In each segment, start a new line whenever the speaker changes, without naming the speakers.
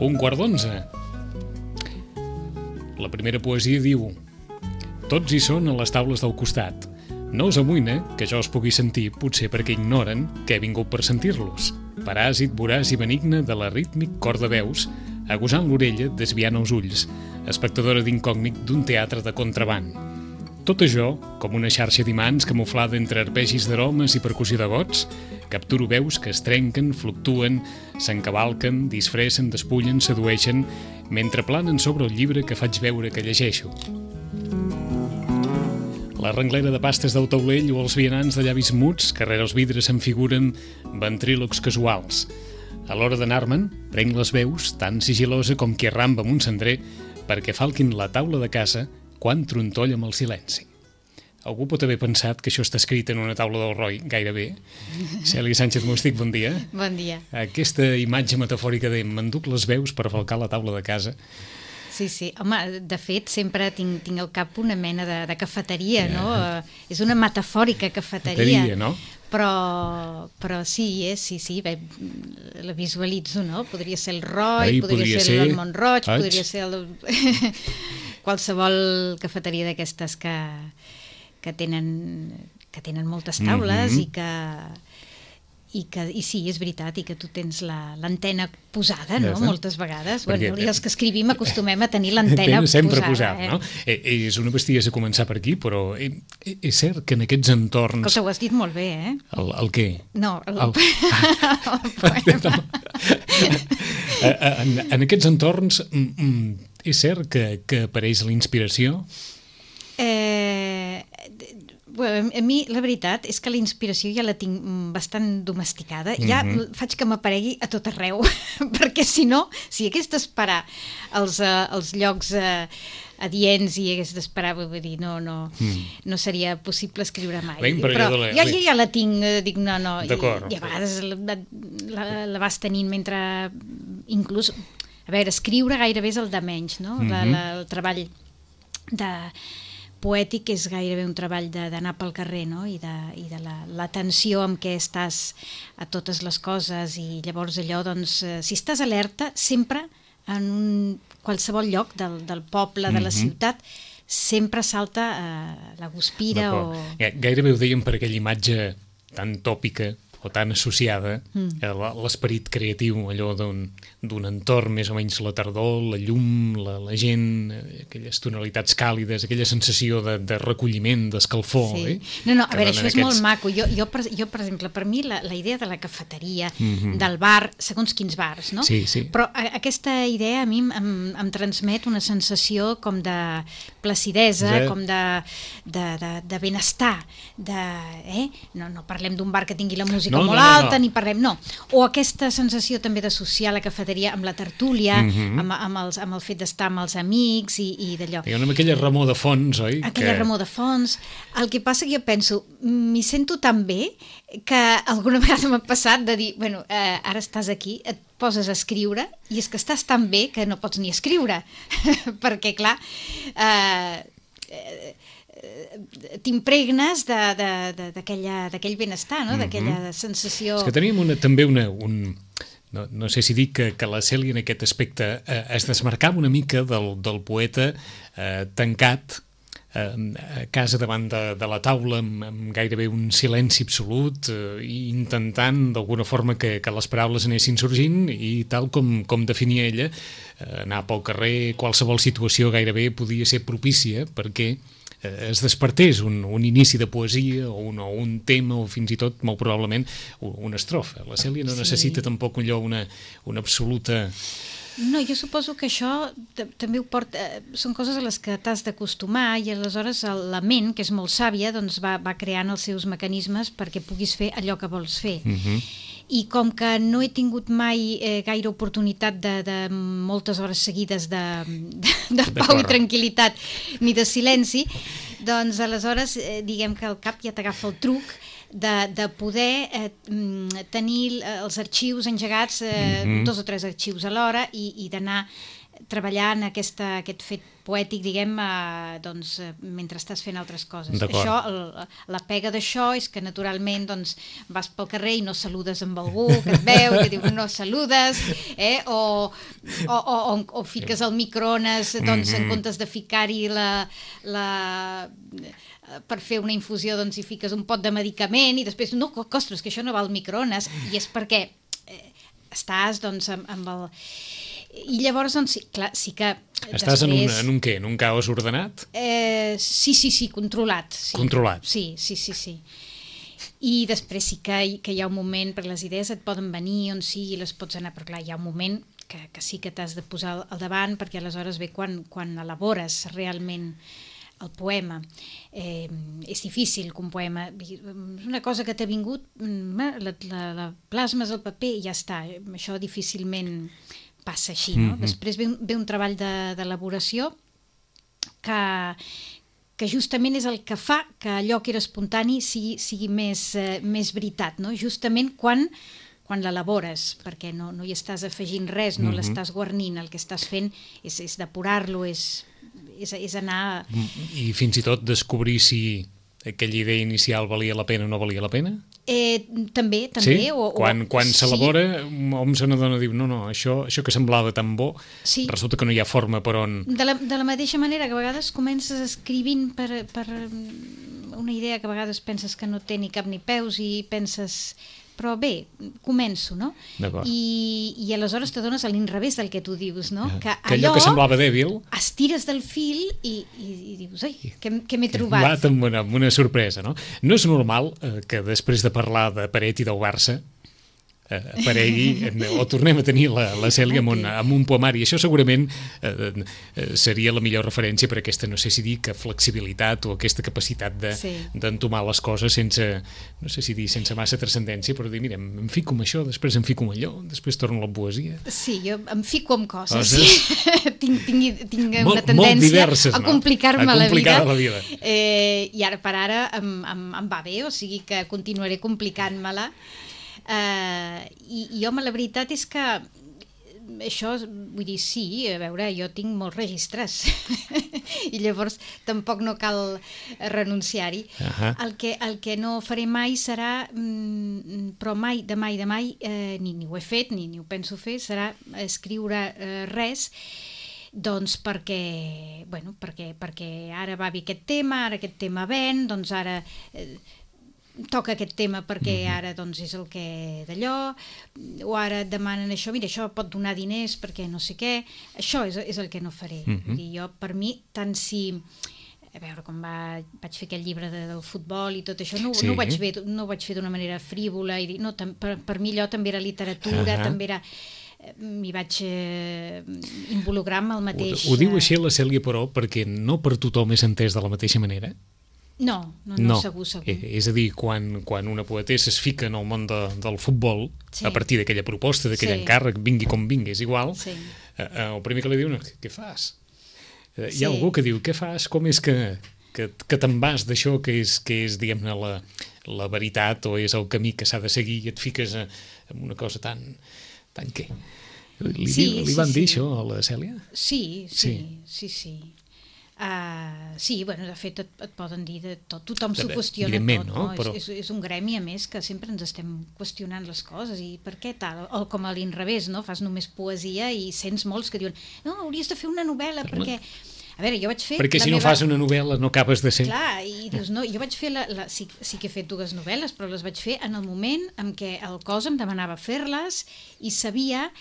Un quart d'onze. La primera poesia diu: tots hi són a les taules del costat. No us amoïna que jo els pugui sentir, potser perquè ignoren que he vingut per sentir-los. Paràsit voraç i benigne de la rítmic cor de veus, agosant l'orella, desviant els ulls, espectadora d'incògnit d'un teatre de contraband. Tot això, com una xarxa d'imants camuflada entre arpegis d'aromes i percussió de gots, capturo veus que es trenquen, fluctuen, s'encavalquen, disfressen, despullen, sedueixen, mentre planen sobre el llibre que faig veure que llegeixo. La renglera de pastes del taulell o els vianants de llavis muts que rere els vidres se'n figuren ventrílocs casuals. A l'hora d'anar-me'n, prenc les veus, tan sigilosa com qui arramba amb un cendrer, perquè falquin la taula de casa quan trontolla amb el silenci. Algú pot haver pensat que això està escrit en una taula del Roy, gairebé. Cèlia Sánchez Mustic, bon dia.
Bon dia.
Aquesta imatge metafòrica de m'enduc les veus per falcar la taula de casa.
Sí, sí. Home, de fet, sempre tinc al cap una mena de cafeteria, no? És una metafòrica cafeteria.
Cafeteria, no?
Però sí, sí, bé, la visualitzo, no? Podria ser el Roy, podria ser el Montroig, podria ser qualsevol cafeteria d'aquestes que tenen moltes taules i sí, és veritat, i que tu tens l'antena posada, no?, moltes vegades. Bueno, els que escrivim acostumem a tenir l'antena
sempre posada, no? És una bestiesa començar per aquí, però és cert que en aquests entorns...
Cosa, ho has dit molt bé, eh?
El què?
No, el poema.
En aquests entorns és cert que apareix la inspiració?
A mi la veritat és que la inspiració ja la tinc bastant domesticada, ja faig que m'aparegui a tot arreu, perquè si no, si hagués d'esperar els llocs adients i hagués d'esperar, vull dir, no seria possible escriure mai. Però jo ja la tinc, dic no, i a vegades la vas tenint mentre inclús, a veure, escriure gairebé és el de menys, no? El treball poètic és gairebé un treball d'anar pel carrer, no? I de l'atenció amb què estàs a totes les coses, i llavors allò, doncs, si estàs alerta, sempre en qualsevol lloc del poble, de la ciutat, sempre salta la guspira o...
Gairebé ho dèiem per aquella imatge tan tòpica o tan associada a l'esperit creatiu, allò d'un entorn més o menys la tardor, la llum, la gent, aquelles tonalitats càlides, aquella sensació de recolliment, d'escalfor.
Sí. No, a veure, això és molt maco. Jo, per exemple, per mi la idea de la cafeteria, del bar, segons quins bars, no? Sí. Però aquesta idea a mi em transmet una sensació com de placidesa, com de benestar, no parlem d'un bar que tingui la música molt alta, ni parlem, no. O aquesta sensació també d'associar la cafeteria amb la tertúlia, amb el fet d'estar amb els amics i d'allò.
Amb aquella remor de fons, oi?
Aquella remor de fons. El que passa que jo penso, m'hi sento tan bé que alguna vegada m'ha passat de dir, bueno, ara estàs aquí, et poses a escriure i és que estàs tan bé que no pots ni escriure, perquè clar... t'impregnes d'aquell benestar, no? D'aquella sensació...
És que teníem també no sé si dic que la Cèlia en aquest aspecte es desmarcava una mica del poeta tancat a casa davant de la taula amb gairebé un silenci absolut i intentant d'alguna forma que les paraules anessin sorgint, i tal com definia ella, anar pel carrer, qualsevol situació gairebé podia ser propícia perquè es despertés un inici de poesia o un tema o fins i tot, molt probablement, una estrofa. La Cèlia no necessita tampoc una absoluta
No, jo suposo que això també ho porta... Són coses a les que t'has d'acostumar i aleshores la ment, que és molt sàvia, doncs va creant els seus mecanismes perquè puguis fer allò que vols fer. I com que no he tingut mai gaire oportunitat de moltes hores seguides de pau i tranquil·litat ni de silenci, doncs aleshores diguem que al cap ja t'agafa el truc de poder tenir els arxius engegats, 2 o 3 arxius alhora, i d'anar treballant aquest fet poètic, diguem, doncs, mentre estàs fent altres coses. Això, la pega d'això és que naturalment doncs, vas pel carrer i no saludes amb algú que et veu, que diu no saludes, o fiques el microones, doncs, en comptes de ficar-hi per fer una infusió, doncs hi fiques un pot de medicament i després, no, ostres, que això no va al microones, i és perquè estàs, doncs, amb el... I llavors, doncs, clar, sí que...
Estàs després... en un què? En un caos ordenat?
Sí, controlat. Sí.
Controlat?
Sí. I després sí que hi ha un moment, perquè les idees et poden venir on sigui i les pots anar, però clar, hi ha un moment que sí que t'has de posar al davant, perquè aleshores ve quan elabores realment el poema. És difícil que un poema... És una cosa que t'ha vingut, la plasmes al paper i ja està. Això difícilment passa així, no? Després ve un treball d'elaboració que justament és el que fa que allò que era espontani sigui més veritat, no? Justament quan l'elabores, perquè no hi estàs afegint res, no l'estàs guarnint, el que estàs fent és depurar-lo, és anar...
I fins i tot descobrir si aquella idea inicial valia la pena o no valia la pena?
També.
Sí? Quan s'elabora, hom se n'adona, diu, no, això que semblava tan bo, resulta que no hi ha forma per on... De
la mateixa manera que a vegades comences escrivint per una idea que a vegades penses que no té ni cap ni peus i penses... Però bé, començo, no? I aleshores t'adones a l'inrevés del que tu dius, no?
Que allò que semblava dèbil...
Estires del fil i dius, ai, què m'he trobat?
Amb una sorpresa, no? No és normal que després de parlar de Paret i del Barça aparegui, o tornem a tenir la Cèlia amb un poemari. Això segurament seria la millor referència per aquesta, no sé si dir, que flexibilitat o aquesta capacitat d'entomar les coses sense, no sé si dir, sense massa transcendència, però dir, mira, em fico amb això, després em fico amb allò, després torno a la poesia.
Sí, jo em fico amb coses. Tinc una tendència a complicar-me la vida. I ara per ara em va bé, o sigui que continuaré complicant-me-la. I home, la veritat és que això, vull dir, sí, a veure, jo tinc molts registres i llavors tampoc no cal renunciar-hi. El que no faré mai serà, però mai, ni ho he fet, ni ho penso fer, serà escriure res, doncs perquè ara va bé aquest tema, ara aquest tema ven, doncs ara... toca aquest tema perquè ara doncs és el que d'allò, o ara et demanen això, mira, això pot donar diners perquè no sé què, això és el que no faré. I jo, per mi, tant si... A veure, quan vaig fer aquest llibre del futbol i tot això, no ho vaig fer d'una manera frívola, i no, per mi allò també era literatura, també era... m'hi vaig involucrar amb el mateix...
Ho diu així la Cèlia, però, perquè no per tothom és entès de la mateixa manera?
No, segur.
És a dir, quan una poetessa es fica en el món del futbol, a partir d'aquella proposta, d'aquell encàrrec, vingui com vingui, és igual, el primer que li diu, què fas? Hi ha algú que diu, què fas? Com és que te'n vas d'això que és diguem-ne, la veritat o és el camí que s'ha de seguir i et fiques en una cosa tan què? Li van dir això a la Cèlia?
Sí. Bueno, de fet et poden dir de tot, tothom s'ho qüestiona tot, no? Però... és un gremi, a més, que sempre ens estem qüestionant les coses i per què tal, o com a l'inrevés, no? Fas només poesia i sents molts que diuen no, hauries de fer una novel·la perquè... A veure, jo vaig fer...
Perquè si no fas una novel·la no acabes de ser...
Clar, i dius, no, jo vaig fer... Sí que he fet 2 novel·les, però les vaig fer en el moment en què el cos em demanava fer-les i sabia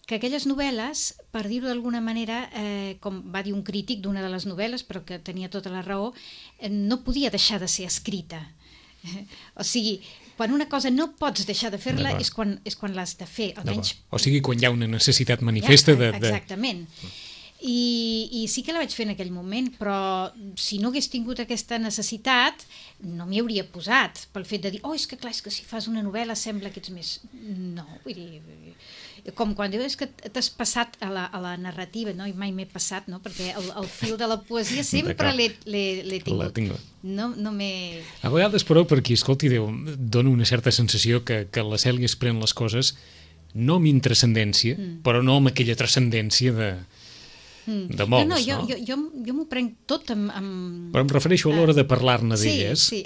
que aquelles novel·les, per dir-ho d'alguna manera, com va dir un crític d'una de les novel·les, però que tenia tota la raó, no podia deixar de ser escrita. O sigui, quan una cosa no pots deixar de fer-la és quan l'has de fer, almenys...
O sigui, quan hi ha una necessitat manifesta de...
Exactament. I sí que la vaig fer en aquell moment, però si no hagués tingut aquesta necessitat no m'hi hauria posat pel fet de dir, és que clar, és que si fas una novel·la sembla que ets més... No, vull dir... Com quan dius que t'has passat a la narrativa, no? I mai m'he passat, no? Perquè el fil de la poesia sempre l'he tingut. No m'he...
A vegades, però, per qui escolti, dona una certa sensació que la Cèlia es pren les coses no amb intrascendència, però no amb aquella transcendència de molts, no?
Jo m'ho prenc tot amb...
Però em refereixo a l'hora de parlar-ne d'elles i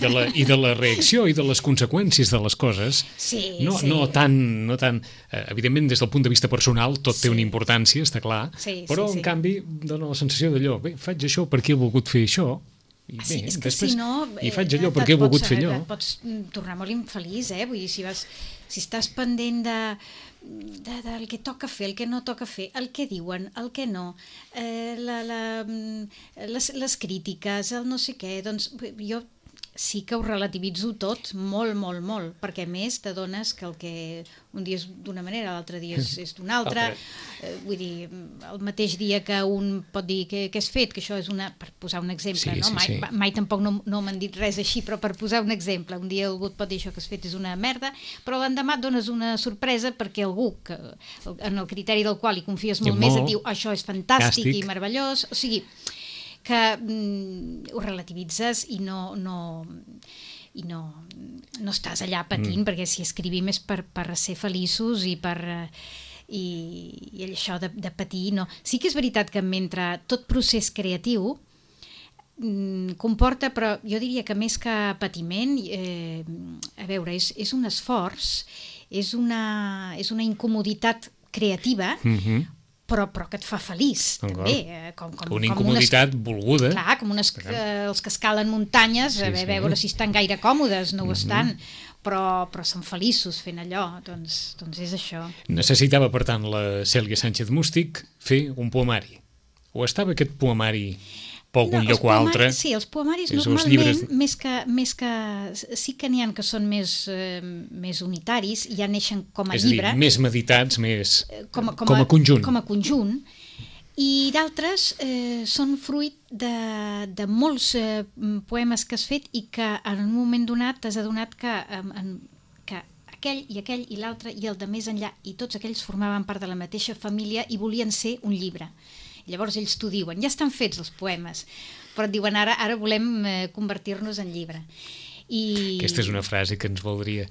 de la reacció i de les conseqüències de les coses. No tant... Evidentment, des del punt de vista personal, tot té una importància, està clar, però, en canvi, dona la sensació d'allò, bé, faig això perquè he volgut fer això, i bé, després faig allò perquè he volgut fer allò.
Et pots tornar molt infeliç, vull dir, si estàs pendent del que toca fer, el que no toca fer, el que diuen, el que no, les crítiques, el no sé què, doncs jo sí que ho relativitzo tot molt, molt, molt, perquè a més t'adones que el que un dia és d'una manera, l'altre dia és d'una altra, vull dir, el mateix dia que un pot dir que has fet, que això és per posar un exemple, no? Mai tampoc no m'han dit res així, però per posar un exemple, un dia algú et pot dir això que has fet és una merda, però l'endemà et dones una sorpresa perquè algú, en el criteri del qual hi confies molt més, et diu això és fantàstic i meravellós, o sigui... que ho relativitzes i no estàs allà patint, perquè si escrivim és per ser feliços i això de patir, no. Sí que és veritat que mentre tot procés creatiu comporta, però jo diria que més que patiment, a veure, és un esforç, és una incomoditat creativa, però que et fa feliç, també.
Una incomoditat volguda.
Clar, com els que escalen muntanyes, a veure si estan gaire còmodes, no ho estan, però són feliços fent allò, doncs és això.
Necessitava, per tant, la Cèlia Sánchez Mústic fer un poemari. O estava aquest poemari per algun lloc o altre?
Sí, els poemaris normalment, més que sí que n'hi ha que són més unitaris, ja neixen com a llibre.
És a dir, més meditats, més com a conjunt.
Com a conjunt. I d'altres són fruit de molts poemes que has fet i que en un moment donat t'has adonat que aquell i l'altre i el de més enllà i tots aquells formaven part de la mateixa família i volien ser un llibre. Llavors ells t'ho diuen, ja estan fets els poemes, però et diuen ara volem convertir-nos en llibre.
Aquesta és una frase que ens voldria,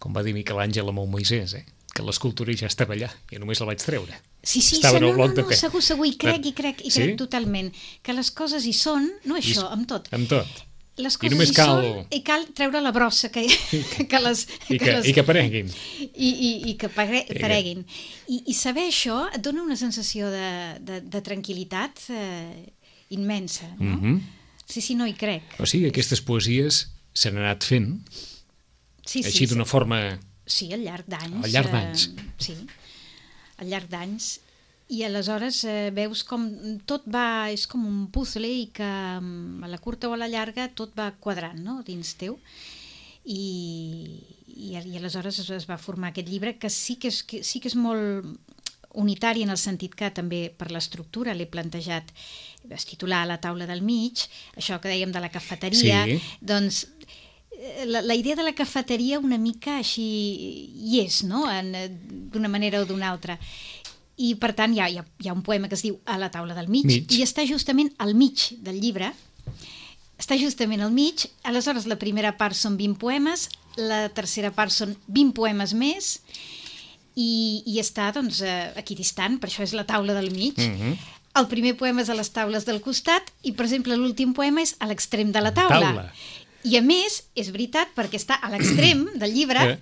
com va dir Miquel Àngel amb el Moisès, que l'escultura ja estava allà, i només la vaig treure.
Sí, segur, i crec totalment, que les coses hi són, no això, amb tot.
Amb tot.
Les coses hi són i cal treure la brossa i
que apareguin
i que apareguin i saber això et dona una sensació de tranquil·litat immensa, no? Sí, no hi crec.
O sigui, aquestes poesies s'han anat fent així d'una forma...
Sí, al llarg d'anys.
Al llarg d'anys.
Sí, al llarg d'anys. I aleshores veus com tot va, és com un puzzle i que a la curta o a la llarga tot va quadrant, no?, dins teu. I aleshores es va formar aquest llibre que sí que és molt unitari en el sentit que també per l'estructura l'he plantejat, es titular La taula del mig, això que dèiem de la cafeteria, doncs la idea de la cafeteria una mica així hi és, no?, d'una manera o d'una altra. I per tant hi ha un poema que es diu A la taula del mig i està justament al mig del llibre, aleshores la primera part són 20 poemes, la tercera part són 20 poemes més i està doncs aquí distant, per això és la taula del mig. El primer poema és a les taules del costat i per exemple l'últim poema és a l'extrem de la taula. I a més, és veritat, perquè està a l'extrem del llibre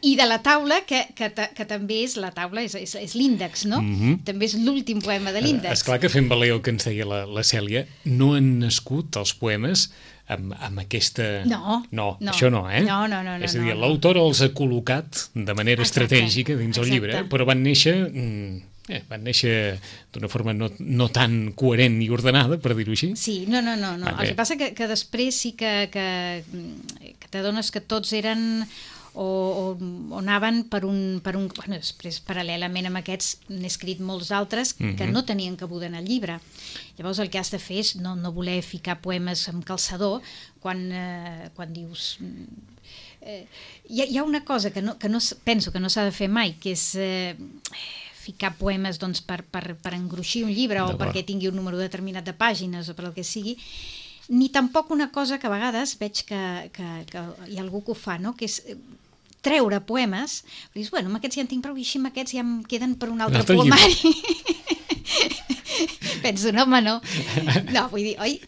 i de la taula, que també és la taula, és l'índex, no? També és l'últim poema de l'índex.
Esclar que fent valer el que ens deia la Cèlia, no han nascut els poemes amb aquesta...
No,
això no,
No.
És a dir, l'autor els ha col·locat de manera estratègica dins el llibre, però van néixer Van néixer d'una forma no tan coherent i ordenada, per dir-ho així.
Sí, no. El que passa que després sí que t'adones que tots eren o anaven per un... Bueno, després, paral·lelament amb aquests, n'he escrit molts altres que no tenien cabuda en el llibre. Llavors el que has de fer és no voler ficar poemes amb calçador quan dius... Hi ha una cosa que penso que no s'ha de fer mai, que és ficar poemes doncs, per engruixir un llibre o perquè tingui un número determinat de pàgines o per el que sigui, ni tampoc una cosa que a vegades veig que hi ha algú que ho fa, no? Que és treure poemes, i dius, bueno, amb aquests ja en tinc prou i així amb aquests ja em queden per un altre poemari. Penso, no, home, no. No, vull dir, oi...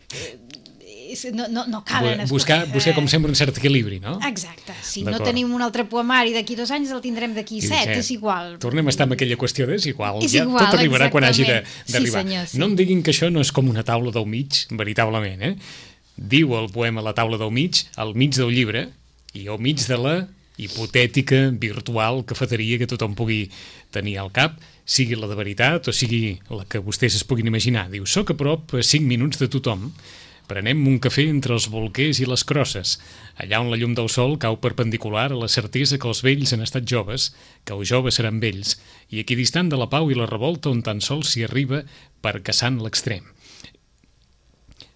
No calen...
Buscar, com sempre, un cert equilibri, no?
Exacte. Si no tenim un altre poemari d'aquí 2 anys, el tindrem d'aquí 7, és igual.
Tornem a estar amb aquella qüestió és igual. Ja tot arribarà quan hagi d'arribar.
Sí,
no em diguin que això no és com una taula del mig, veritablement, Diu el poema La taula del mig, al mig del llibre, i al mig de la hipotètica, virtual, cafeteria que tothom pugui tenir al cap, sigui la de veritat o sigui la que vostès es puguin imaginar. Diu, soc a prop a 5 minuts de tothom. Prenem un cafè entre els bolquers i les crosses, allà on la llum del sol cau perpendicular a la certesa que els vells han estat joves, que els joves seran vells, i equidistant de la pau i la revolta on tan sols s'hi arriba per caçant l'extrem.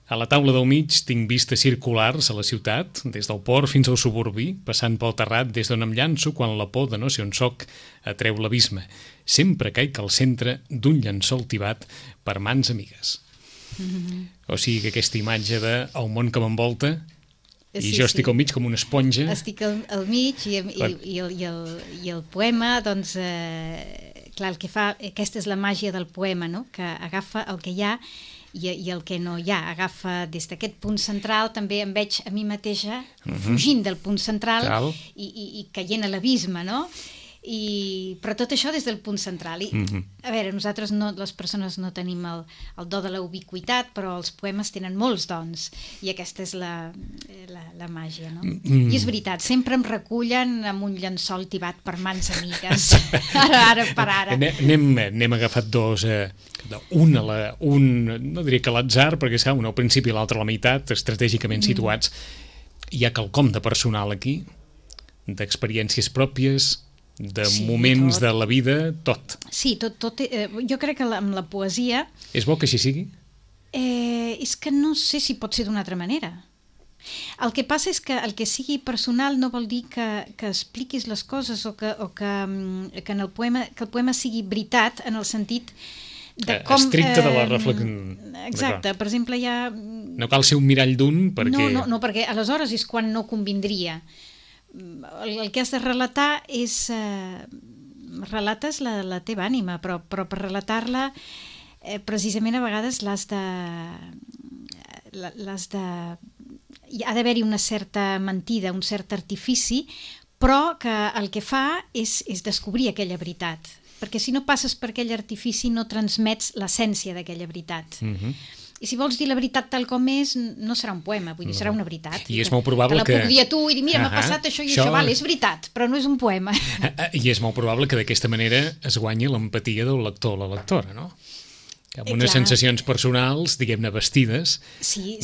A la taula del mig tinc vistes circulars a la ciutat, des del port fins al suburbi, passant pel terrat des d'on em llanço quan la por de no ser on soc atreu l'abisme. Sempre caic al centre d'un llençol tibat per mans amigues. O sigui que aquesta imatge del món que m'envolta i jo estic al mig com una esponja.
Estic al mig i el poema, doncs, clar, el que fa, aquesta és la màgia del poema, no? Que agafa el que hi ha i el que no hi ha. Agafa des d'aquest punt central, també em veig a mi mateixa fugint del punt central i caient a l'abisme, no? Però tot això des del punt central. A veure, nosaltres les persones no tenim el do de la ubiquitat, però els poemes tenen molts dons i aquesta és la màgia, no? I és veritat, sempre em recullen amb un llençol tibat per mans amigues, ara per ara.
N'hem agafat dos, un no diria que a l'atzar, perquè un al principi i l'altre a la meitat, estratègicament situats. Hi ha quelcom de personal aquí, d'experiències pròpies, de moments de la vida, tot.
Sí, tot. Jo crec que amb la poesia...
És bo que així sigui?
És que no sé si pot ser d'una altra manera. El que passa és que el que sigui personal no vol dir que expliquis les coses o que en el poema sigui veritat en el sentit de com...
Estricte de la reflexió.
Exacte, per exemple hi ha...
No cal ser un mirall d'un perquè...
No, perquè aleshores és quan no convindria. El que has de relatar és... relates la teva ànima, però per relatar-la precisament a vegades l'has de... ha d'haver-hi una certa mentida, un cert artifici, però que el que fa és descobrir aquella veritat, perquè si no passes per aquell artifici no transmets l'essència d'aquella veritat. I si vols dir la veritat tal com és, no serà un poema, vull dir, serà una veritat.
I és molt probable que...
Te la puc dir a tu i dir, mira, m'ha passat això i això, és veritat, però no és un poema.
I és molt probable que d'aquesta manera es guanyi l'empatia del lector o la lectora, no? Amb unes sensacions personals, diguem-ne, vestides,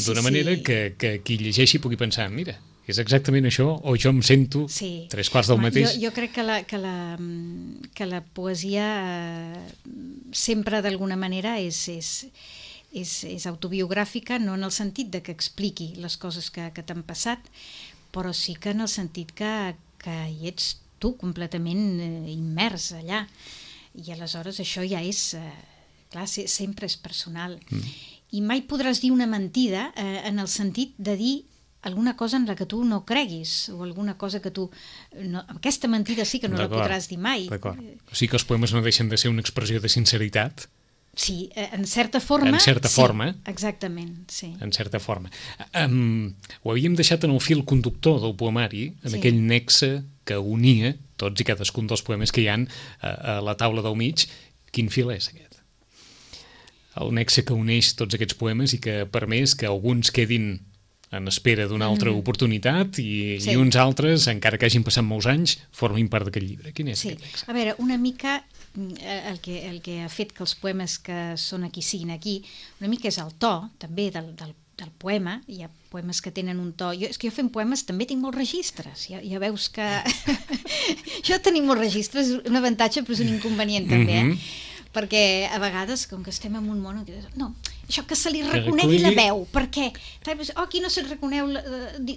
d'una manera que qui llegeixi pugui pensar, mira, és exactament això, o jo em sento 3/4 del mateix.
Jo crec que la poesia sempre d'alguna manera és autobiogràfica, no en el sentit de que expliqui les coses que t'han passat, però sí que en el sentit que hi ets tu completament immers allà. I aleshores això ja és... clar, sempre és personal. I mai podràs dir una mentida en el sentit de dir alguna cosa en la que tu no creguis, o alguna cosa que tu... Aquesta mentida sí que no la podràs dir mai.
D'acord. O sigui que els poemes no deixen de ser una expressió de sinceritat.
Sí, en certa forma.
En certa forma.
Exactament, sí.
En certa forma. Ho havíem deixat en el fil conductor del poemari, en aquell nexe que unia tots i cadascun dels poemes que hi ha a la taula del mig. Quin fil és aquest? El nexe que uneix tots aquests poemes i que ha permès que alguns quedin en espera d'una altra oportunitat i uns altres, encara que hagin passat molts anys, formin part d'aquest llibre. Quin és aquest nexe?
A veure, una mica el que ha fet que els poemes que són aquí siguin aquí, una mica és el to, també, del poema. Hi ha poemes que tenen un to... És que jo fent poemes també tinc molts registres. Ja veus que... Jo tenir molts registres és un avantatge, però és un inconvenient també, perquè a vegades, com que estem en un món... No, això que se li reconegui la veu, per què? Aquí no se't reconeu...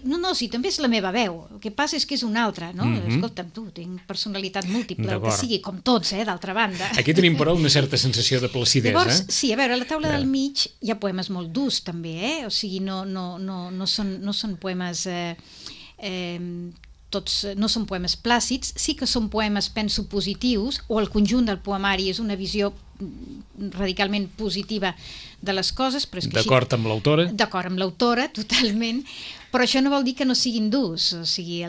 No, sí, també és la meva veu. El que passa és que és una altra, no? Escolta'm, tu, tinc personalitat múltiple, el que sigui, com tots, d'altra banda.
Aquí tenim, però, una certa sensació de placidesa.
Llavors, sí, a veure, a la taula del mig hi ha poemes molt durs, també, O sigui, no són poemes... Tots no són poemes plàcids, sí que són poemes, penso, positius, o el conjunt del poemari és una visió radicalment positiva de les coses.
D'acord amb l'autora?
D'acord amb l'autora, totalment, però això no vol dir que no siguin durs, o sigui,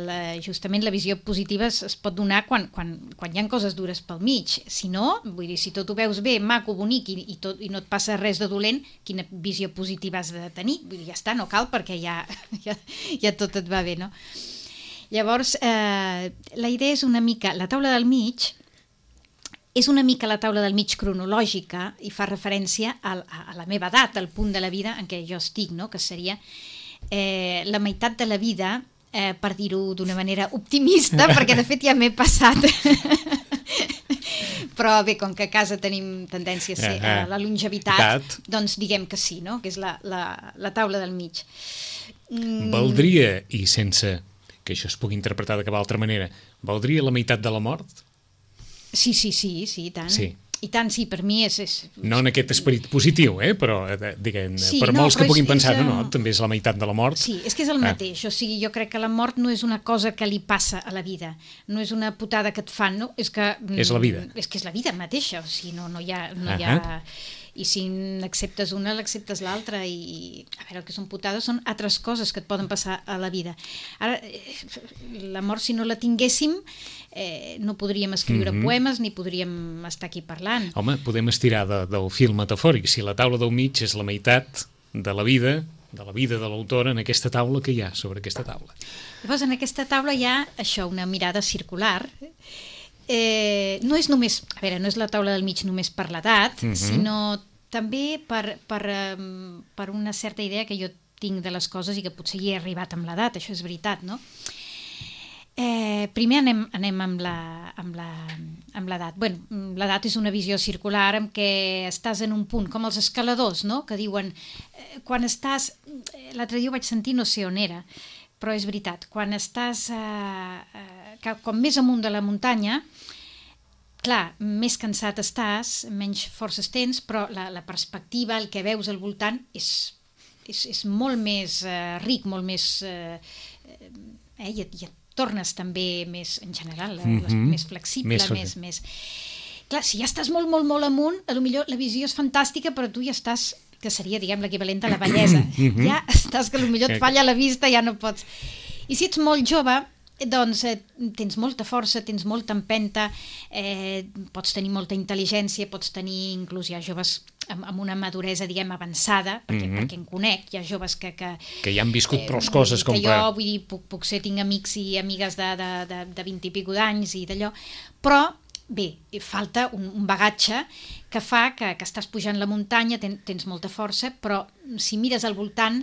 justament la visió positiva es pot donar quan hi ha coses dures pel mig. Si no, vull dir, si tot ho veus bé, maco, bonic i no et passa res de dolent, quina visió positiva has de tenir? Vull dir, ja està, no cal, perquè ja tot et va bé, no? Llavors, la idea és una mica... La taula del mig és una mica la taula del mig cronològica i fa referència a la meva edat, al punt de la vida en què jo estic, no? Que seria la meitat de la vida, per dir-ho d'una manera optimista, perquè de fet ja m'he passat. Però bé, com que a casa tenim tendència a ser la longevitat, doncs diguem que sí, no? Que és la taula del mig.
Valdria, i sense... que això es pugui interpretar de cap altra manera, valdria la meitat de la mort?
Sí, i tant. Sí. I tant, sí, per mi és...
No en aquest esperit positiu, però diguem, per molts que puguin pensar, no, també és la meitat de la mort.
Sí, és que és el mateix, o sigui, jo crec que la mort no és una cosa que li passa a la vida, no és una putada que et fan, no? És que...
És la vida.
És que és la vida mateixa, o sigui, no hi ha... I si n'acceptes una, l'acceptes l'altra, i a veure, el que són putades són altres coses que et poden passar a la vida. Ara, la mort, si no la tinguéssim, no podríem escriure poemes ni podríem estar aquí parlant.
Home, podem estirar del fil metafòric. Si la taula del mig és la meitat de la vida de l'autora, en aquesta taula, que hi ha sobre aquesta taula?
Llavors, en aquesta taula hi ha això, una mirada circular. No és només, a veure, no és la taula del mig només per l'edat, sinó també per una certa idea que jo tinc de les coses i que potser hi he arribat amb l'edat, això és veritat, no? Primer anem amb l'edat. Bueno, l'edat és una visió circular en què estàs en un punt, com els escaladors, no? Que diuen, quan estàs... L'altre dia ho vaig sentir, no sé on era, però és veritat, quan estàs com més amunt de la muntanya, clar, més cansat estàs, menys forces tens, però la perspectiva, el que veus al voltant és molt més ric, molt més... I et tornes també més, en general, més flexible, més... Clar, si ja estàs molt, molt, molt amunt, potser la visió és fantàstica, però tu ja estàs... que seria, diguem, l'equivalent a la vellesa. Ja estàs que potser et falla la vista, ja no pots... I si ets molt jove, doncs tens molta força, tens molta empenta, pots tenir molta intel·ligència, pots tenir, inclús hi ha joves amb una maduresa, diguem, avançada, perquè en conec, hi ha joves que
ja han viscut prou coses com
que jo, vull dir, puc ser, tinc amics i amigues de 20 i pico d'anys i d'allò, però bé, falta un bagatge que fa que estàs pujant la muntanya, tens molta força, però si mires al voltant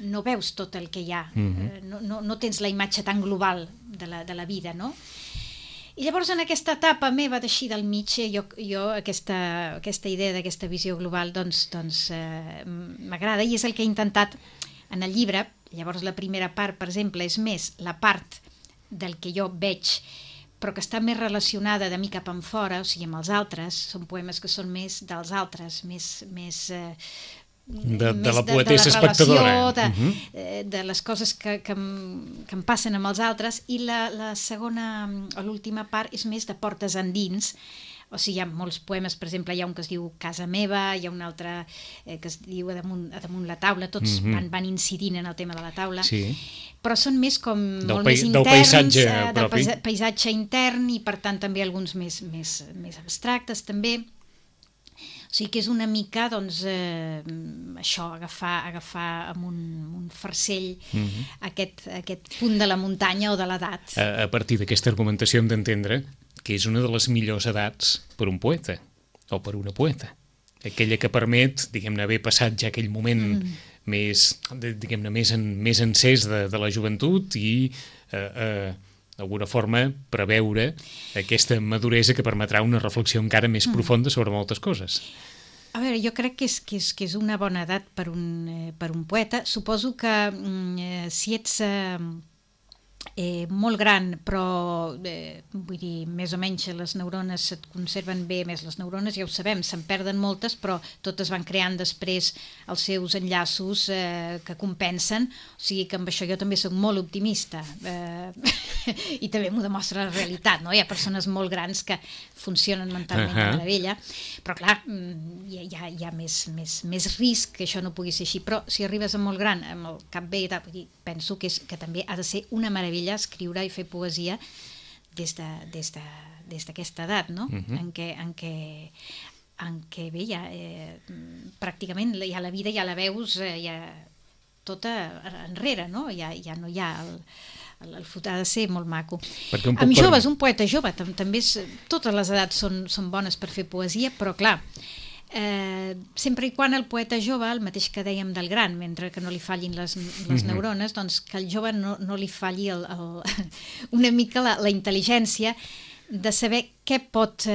no veus tot el que hi ha, no tens la imatge tan global de la vida, no? I llavors en aquesta etapa meva d'així del mig, jo aquesta idea d'aquesta visió global doncs m'agrada i és el que he intentat en el llibre. Llavors la primera part, per exemple, és més la part del que jo veig però que està més relacionada de mi cap enfora, o sigui, amb els altres, són poemes que són més dels altres, més
de la poetessa espectadora.
De les coses que em passen amb els altres, i la segona, o l'última part, és més de portes endins. O sigui, hi ha molts poemes, per exemple, hi ha un que es diu Casa meva, hi ha un altre que es diu A damunt la taula, tots van incidint en el tema de la taula, sí. Però són més com molt més interns, del paisatge intern, i per tant també alguns més abstractes també. O sigui que és una mica, doncs, això, agafar amb un farcell aquest punt de la muntanya o de l'edat.
A partir d'aquesta argumentació hem d'entendre que és una de les millors edats per un poeta, o per una poeta. Aquella que permet, diguem-ne, haver passat ja aquell moment més, diguem-ne, més encès de la joventut i d'alguna forma preveure aquesta maduresa que permetrà una reflexió encara més profunda sobre moltes coses.
A veure, jo crec que és una bona edat per un poeta. Suposo que si ets molt gran, però vull dir, més o menys les neurones et conserven bé, més les neurones ja ho sabem, se'n perden moltes, però totes van creant després els seus enllaços que compensen, o sigui que amb això jo també soc molt optimista i també m'ho demostra la realitat, no? Hi ha persones molt grans que funcionen mentalment de meravella, però clar, hi ha més risc que això no pugui ser així, però si arribes a molt gran, amb el cap bé, penso que també ha de ser una meravella escriure i fer poesia des d'aquesta edat, no? En què bé, pràcticament ja la vida ja la veus ja tota enrere, no? Ja no hi ha el futur, ha de ser molt maco. Amb joves, un poeta jove, també totes les edats són bones per fer poesia, però clar, sempre i quan el poeta jove, el mateix que dèiem del gran, mentre que no li fallin les neurones, doncs que el jove no li falli una mica la intel·ligència de saber què pot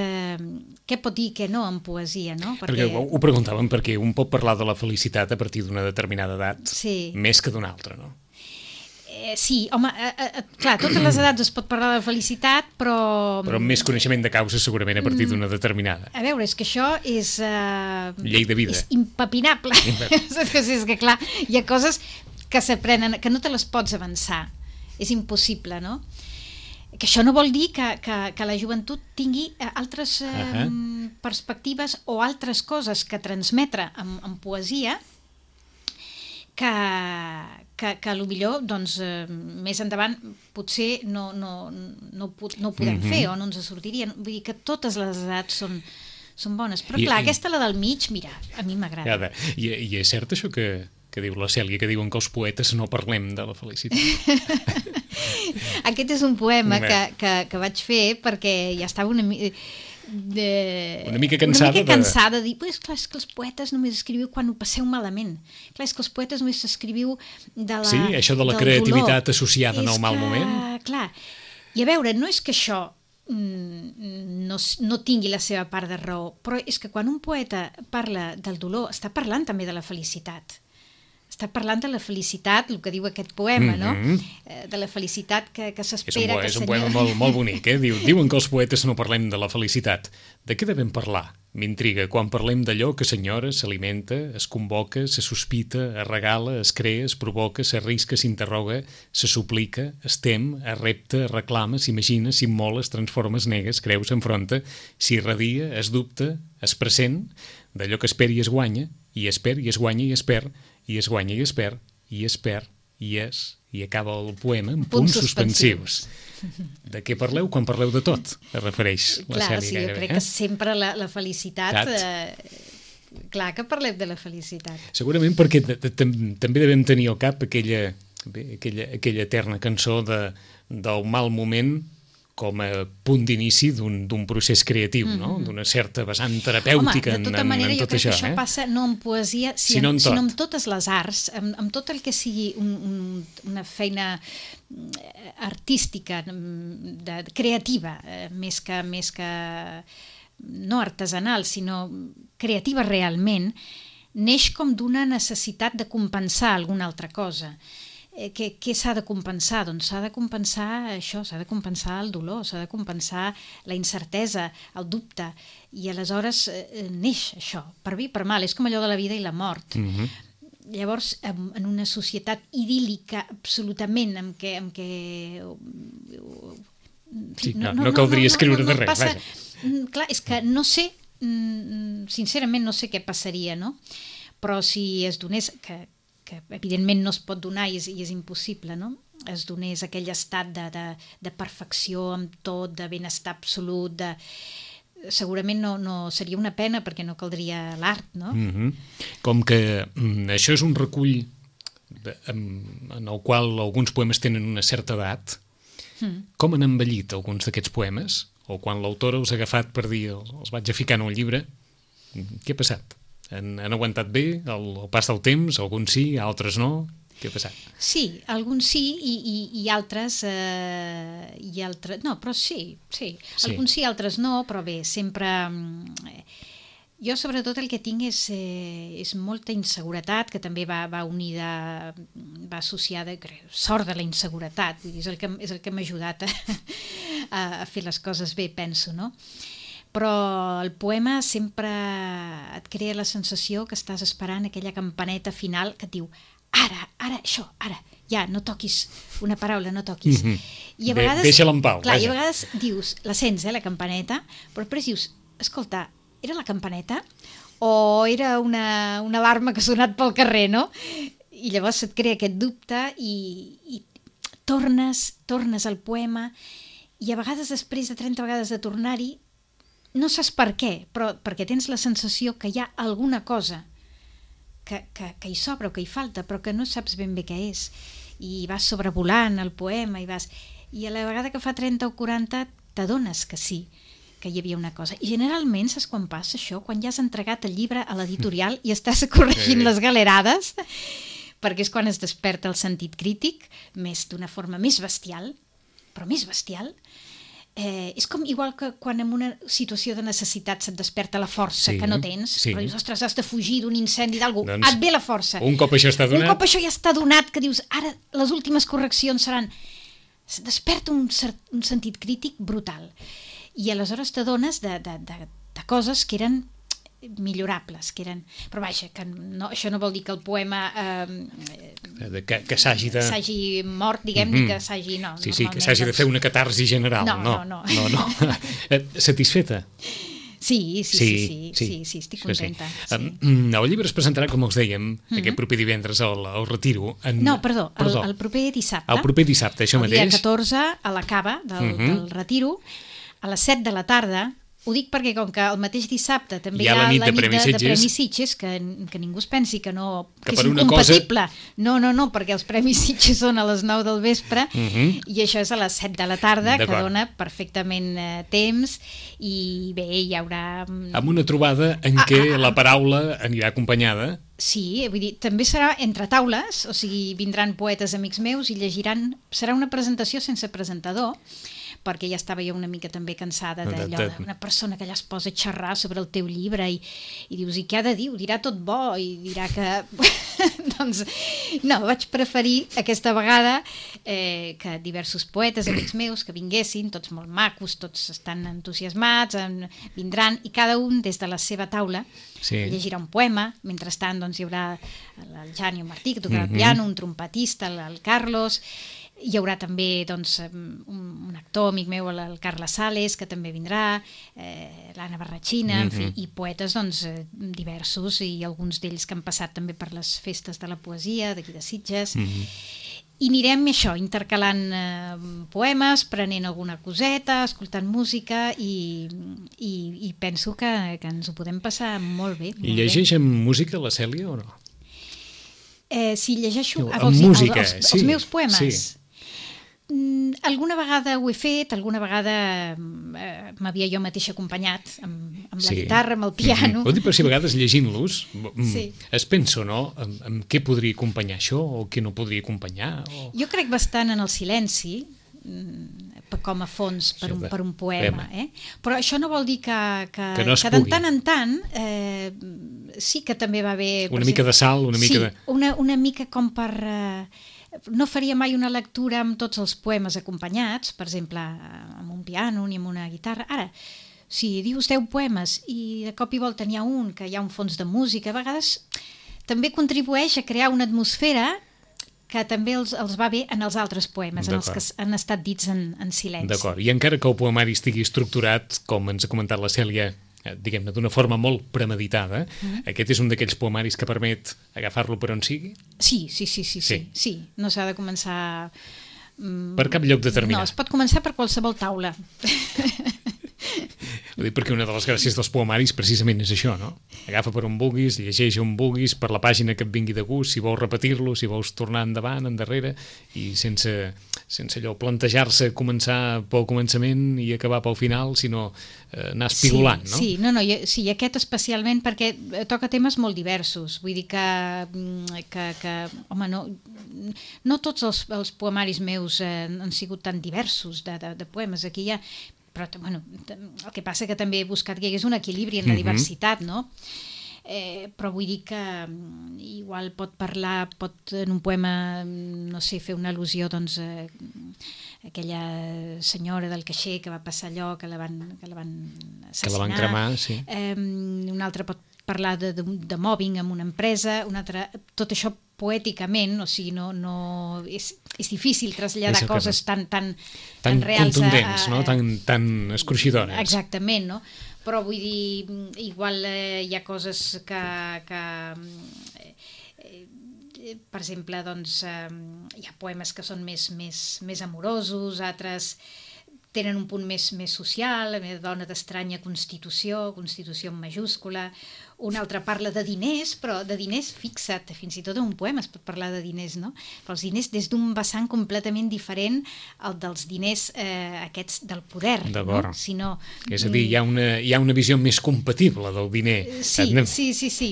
dir que no en poesia, no?
Perquè ho preguntàvem perquè un pot parlar de la felicitat a partir d'una determinada edat, més que d'una altra, no?
Sí, home, clar, totes les edats es pot parlar de felicitat, però
amb més coneixement de causa segurament a partir d'una determinada.
A veure, és que això és
llei de vida.
És impepinable. És que clar, hi ha coses que s'aprenen, que no te les pots avançar. És impossible, no? Que això no vol dir que la joventut tingui altres perspectives o altres coses que transmetre en poesia que potser doncs, més endavant potser no ho podem fer o no ens sortirien. Vull dir que totes les edats són bones. Però clar, aquesta, la del mig, mira, a mi m'agrada.
I és cert això que diu la Cèlia, que diuen que els poetes no parlem de la felicitat?
Aquest és un poema que vaig fer perquè ja estava una mica cansada de dir, és clar, és que els poetes només escriviu quan ho passeu malament. Clar, és que els poetes només escriviu de la...
Sí, això de la creativitat associada al mal moment.
Clar, i a veure, no és que això no tingui la seva part de raó, però és que quan un poeta parla del dolor, està parlant també de la felicitat. Està parlant de la felicitat, el que diu aquest poema, no? De la felicitat que s'espera.
És un poema molt bonic, Diuen que els poetes no parlem de la felicitat. De què devem parlar? M'intriga. Quan parlem d'allò que s'enyora, s'alimenta, es convoca, se sospita, es regala, es crea, es provoca, s'arrisca, s'interroga, se suplica, es tem, es repta, es reclama, s'imagina, s'immola, es transforma, es nega, es creu, s'enfronta, s'irradia, es dubta, es present, d'allò que espera i es guanya, i es perd, i es guanya, i es perd, i es guanya i es perd, i es perd, i acaba el poema amb punts suspensius. De què parleu quan parleu de tot? Es refereix la Cèlia.
Clar, sí, jo crec que sempre la felicitat... Clar que parlem de la felicitat.
Segurament perquè també devem tenir al cap aquella eterna cançó del mal moment com a punt d'inici d'un procés creatiu, no? D'una certa vessant terapèutica en tot això.
Home, de tota manera, jo crec que això passa no en poesia, sinó en totes les arts, amb tot el que sigui una feina artística, creativa, més que no artesanal, sinó creativa realment, neix com d'una necessitat de compensar alguna altra cosa. Què s'ha de compensar? Doncs s'ha de compensar això, s'ha de compensar el dolor, s'ha de compensar la incertesa, el dubte, i aleshores neix això, per bé i per mal, és com allò de la vida i la mort. Llavors, en una societat idíl·lica absolutament, en què
no caldria escriure de res.
Clar, és que no sé, sincerament no sé què passaria, no? Però si es donés... que evidentment no es pot donar i és impossible, no? Es donés aquell estat de perfecció amb tot, de benestar absolut, segurament no seria una pena perquè no caldria l'art, no?
Com que això és un recull en el qual alguns poemes tenen una certa edat, com han envellit alguns d'aquests poemes? o quan l'autora us ha agafat per dir els vaig a ficar en un llibre, què ha passat? Han aguantat bé el pas del temps? Alguns sí, altres no? Què ha passat?
Sí, alguns sí i altres... no, però sí. Alguns sí, altres no, però bé, sempre... Jo, sobretot, el que tinc és molta inseguretat, que també va unida, va associada, sort de la inseguretat, vull dir, és el que m'ha ajudat a fer les coses bé, penso, no? Però el poema sempre et crea la sensació que estàs esperant aquella campaneta final que et diu ara, això, ara, ja, no toquis una paraula, no toquis. I a vegades,
deixa-la en pau.
Clar, i a vegades dius, la sents, la campaneta, però després dius, escolta, era la campaneta o era una alarma que ha sonat pel carrer, no? I llavors et crea aquest dubte i tornes al poema i a vegades després de 30 vegades de tornar-hi no saps per què, però perquè tens la sensació que hi ha alguna cosa que hi sobra o que hi falta, però que no saps ben bé què és. I vas sobrevolant el poema i a la vegada que fa 30 o 40 t'adones que sí, que hi havia una cosa. I generalment, saps quan passa això? Quan ja has entregat el llibre a l'editorial i estàs corregint les galerades, perquè és quan es desperta el sentit crític, més d'una forma més bestial, però més bestial. És com igual que quan en una situació de necessitat se't desperta la força que no tens, però dius, ostres, has de fugir d'un incendi d'algú, et ve la força.
Un cop això està donat...
Un cop això ja està donat, que dius, ara les últimes correccions seran... Desperta un sentit crític brutal. I aleshores t'adones de coses que eren millorables, que eren... Però vaja, que no, això no vol dir que el poema
que s'hagi
mort, diguem-ne, que s'hagi... No,
sí, que s'hagi de fer una catarsi general.
No.
Satisfeta?
Sí, estic contenta.
El llibre es presentarà, com us dèiem, aquest proper divendres al Retiro.
No, perdó, el proper dissabte.
El proper dissabte, això mateix.
El dia 14, a la cava del Retiro, a les 7 de la tarda. Ho dic perquè com que el mateix dissabte també hi ha la nit de Premis Sitges, que ningú es pensi que és incompatible. No, perquè els Premis Sitges són a les 9 del vespre i això és a les 7 de la tarda, que dona perfectament temps i bé, hi haurà...
Amb una trobada en què la paraula anirà acompanyada.
Sí, vull dir, també serà entre taules, o sigui, vindran poetes amics meus i llegiran... Serà una presentació sense presentador, perquè ja estava jo una mica també cansada d'allò d'una persona que allà es posa a xerrar sobre el teu llibre i dius, i què ha de dir? Ho dirà tot bo i dirà que... doncs no, vaig preferir aquesta vegada que diversos poetes, amics meus, que vinguessin, tots molt macos, tots estan entusiasmats, vindran i cada un des de la seva taula llegirà un poema. Mentrestant doncs, hi haurà el Jani Martí, que tocarà el piano, un trompetista, el Carlos... Hi haurà també doncs, un actor amic meu, el Carles Sales, que també vindrà, l'Anna Barratxina, en fi, i poetes doncs, diversos, i alguns d'ells que han passat també per les festes de la poesia d'aquí de Sitges. I anirem això, intercalant poemes, prenent alguna coseta, escoltant música i penso que ens ho podem passar molt bé.
I llegeix amb música la Cèlia o no?
Si llegeixo
amb música,
els meus poemes?
Sí.
Alguna vegada ho he fet, alguna vegada m'havia jo mateixa acompanyat amb la guitarra, amb el piano.
Vol dir, però si a vegades llegint-los es pensa, no? En què podria acompanyar això o què no podria acompanyar?
Jo crec bastant en el silenci com a fons per un poema. Però això no vol dir que de tant en tant sí que també va bé...
Una mica de sal, una mica de...
Sí, una mica com per... No faria mai una lectura amb tots els poemes acompanyats, per exemple, amb un piano ni amb una guitarra. Ara, si dius 10 poemes i de cop i volta n'hi ha un que hi ha un fons de música, a vegades també contribueix a crear una atmosfera que també els va bé en els altres poemes, en els que han estat dits en silenci.
D'acord, i encara que el poemari estigui estructurat, com ens ha comentat la Cèlia, diguem-ne, d'una forma molt premeditada, aquest és un d'aquells poemaris que permet agafar-lo per on sigui?
Sí. No s'ha de començar...
Per cap lloc determinat.
No, es pot començar per qualsevol taula.
Ho dic perquè una de les gràcies dels poemaris precisament és això, no? Agafa per on vulguis, llegeix on vulguis, per la pàgina que et vingui de gust, si vols repetir-lo, si vols tornar endavant, endarrere, i sense allò plantejar-se començar pel començament i acabar pel final, sinó anar espigolant, no?
Sí, sí, aquest especialment perquè toca temes molt diversos, vull dir que home, no tots els poemaris meus han sigut tan diversos de poemes, aquí hi ha, però bueno, el que passa que també he buscat que hi hagués un equilibri en la diversitat, no? Però vull dir que igual pot en un poema, no sé, fer una al·lusió doncs a aquella senyora del caixer que va passar allò, que la van assassinar.
Que la van cremar, sí.
Un altre pot parlar de mobbing en una empresa, un altre, tot això poèticament, o sigui, no és difícil traslladar coses tan reals,
contundents, no? Tan escruixidores.
Exactament, no? Però vull dir, igual hi ha coses que per exemple, doncs hi ha poemes que són més amorosos, altres tenen un punt més social, la meva dona d'estranya constitució en majúscula, un altre parla de diners, però de diners, fixa't, fins i tot en un poema es pot parlar de diners, no? Però els diners des d'un vessant completament diferent al dels diners aquests del poder, no?
És a dir, hi ha una visió més compatible del diner.
Sí,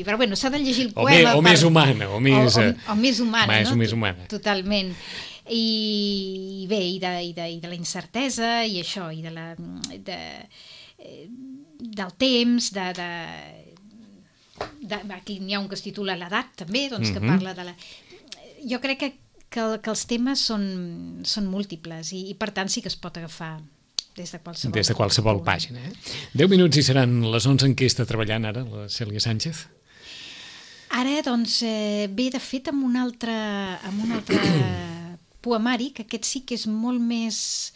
però bueno, s'ha de llegir el poema...
O més humana,
o més humana, no?
Més humana.
Totalment. I bé, i de la incertesa i això, i del temps, aquí n'hi ha un que es titula l'edat també, doncs que parla de la... Jo crec que els temes són múltiples i per tant sí que es pot agafar des de qualsevol
pàgina. 10 minuts i seran les 11 en què està treballant ara la Cèlia Sánchez.
Ara doncs ve de fet amb un altre poemari, que aquest sí que és molt més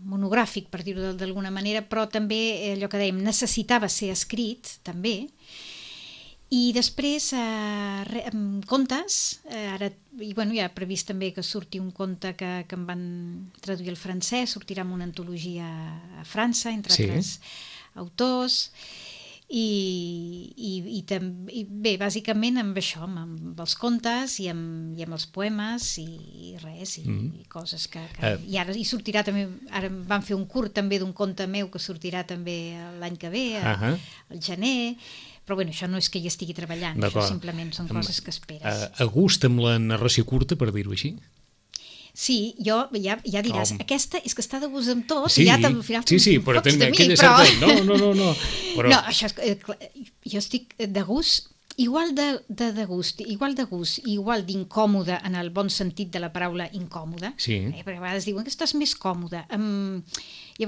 monogràfic, per dir-ho d'alguna manera, però també allò que dèiem, necessitava ser escrit, també. I després, contes, ara, i bueno, hi ha previst també que surti un conte que em van traduir al francès, sortirà en una antologia a França, entre altres autors, i bé, bàsicament amb això, amb els contes i amb els poemes i res, i coses que i ara hi sortirà també, ara van fer un curt també d'un conte meu que sortirà també l'any que ve, al gener, però bueno, això no és que hi estigui treballant, això simplement són coses que esperes.
A gust amb la narració curta, per dir-ho així?
Sí, ja diràs, aquesta és que està de gust amb tot,
i
ja al final
però tenen aquella certa... No.
No, això és... Jo estic de gust, igual de gust, igual d'incòmode en el bon sentit de la paraula incòmode, perquè a vegades diuen que estàs més còmode, i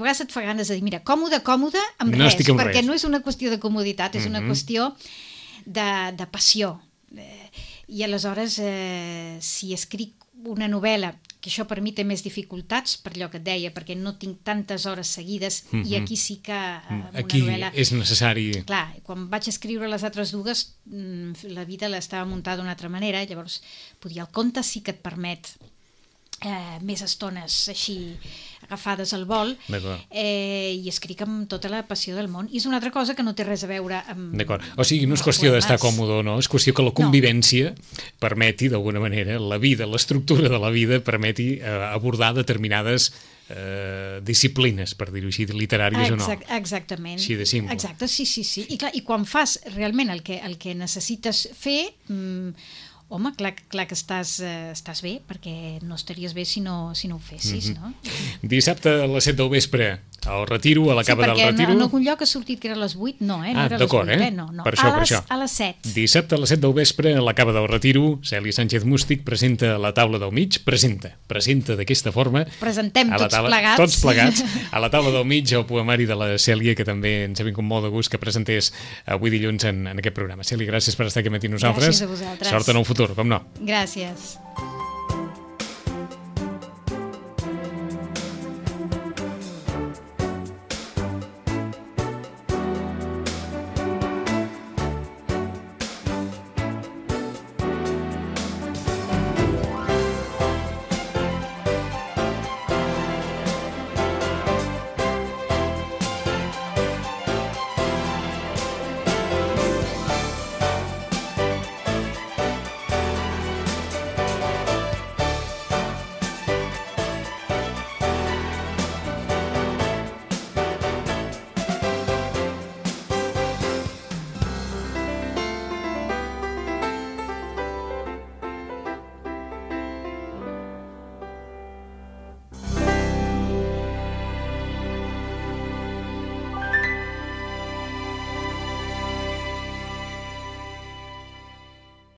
a vegades et fa ganes de dir, mira, còmode amb res, perquè no és una qüestió de comoditat, és una qüestió de passió. I aleshores, si escric una novel·la, que això per mi té més dificultats, per allò que et deia, perquè no tinc tantes hores seguides, i aquí sí que
aquí una novel·la... és necessari...
Clar, quan vaig escriure les altres dues, la vida l'estava muntada d'una altra manera, llavors el conte sí que et permet més estones així agafades al vol, i escric amb tota la passió del món, i és una altra cosa que no té res a veure amb...
D'acord, o sigui, no és qüestió d'estar còmode o no, és qüestió que la convivència permeti, d'alguna manera, la vida, l'estructura de la vida permeti abordar determinades disciplines, per dir-ho així, literàries o no.
Exactament.
Així de simple.
Exacte, sí. I clar, i quan fas realment el que necessites fer... Home, clar que estàs bé, perquè no estaries bé si no ho fessis, no?
Dissabte a les 7 del vespre, al Retiro, a la Cava del Retiro...
Sí, perquè en algun lloc ha sortit que era a les 8, no, no era a les 8, no.
Per això.
A les 7.
Dissabte a les 7 del vespre, a la Cava del Retiro, Cèlia Sánchez Mústic presenta La taula del mig, presenta d'aquesta forma...
Presentem tots
plegats, a la taula del mig, el poemari de la Cèlia, que també ens ha vingut molt de gust que presentés avui dilluns en aquest programa. Cèlia, gràcies per estar aquí amb nosaltres.
Gràcies a vosaltres.
Sort en el futur, com no.
Gràcies.